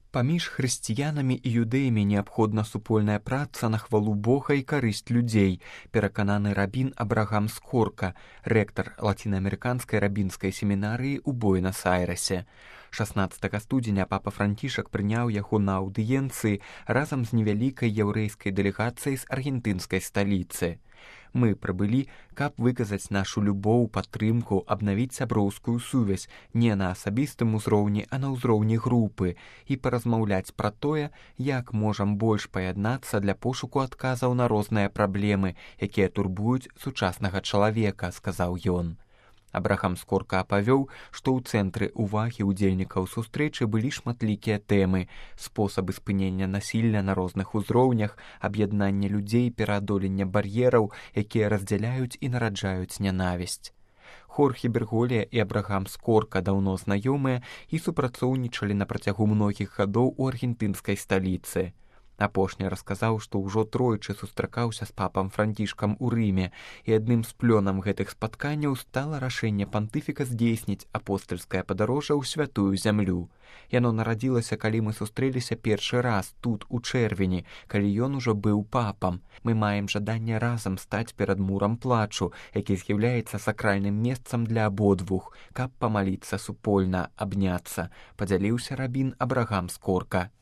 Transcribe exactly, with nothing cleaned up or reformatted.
Паміж хрысціянамі і юдэямі неабходна супольная праца на хвалу Бога і карысць людзей, перакананы рабін Абрагам Скорка, рэктар лацінаамерыканскай рабінскай семінарыі ў Буэнас-Айрэсе. шаснаццатага студзеня папа Францішак прыняў яго на аўдыенцыі разам з невялікай яўрэйскай дэлегацыяй з аргентынскай сталіцы. Мы прыбылі, каб выказаць нашу любоў, падтрымку, абнавіць сяброўскую сувязь не на асабістым узроўні, а на ўзроўні групы і паразмаўляць пра тое, як можам больш паяднацца для пошуку адказаў на розныя праблемы, якія турбуюць сучаснага чалавека, сказаў ён. Абрагам Скорка апавёў, што ў цэнтры ўвагі ўдзельнікаў сустрэчы былі шматлікія тэмы: спосабы спынення насілля на розных узроўнях, аб'яднання людзей, пераадолення бар'ераў, якія раздзяляюць і нараджаюць нянавісць. Хорхе Берголія і Абрагам Скорка даўно знаёмыя і супрацоўнічалі на працягу многіх гадоў у аргентынскай сталіцы. Апошні расказаў, што ўжо тройчы сустракаўся з папам Францішкам у Рыме, і адным з плёнам гэтых спатканняў стала рашэнне пантыфіка здзейсніць апостальскае падарожжа ў святую зямлю. Яно нарадзілася, калі мы сустрэліся першы раз тут, у чэрвені, калі ён ужо быў папам. Мы маем жаданне разам стаць перад мурам плачу, які з'яўляецца сакральным месцам для абодвух, каб памаліцца супольна, абняцца, падзяліўся рабін Абрагам Скорка.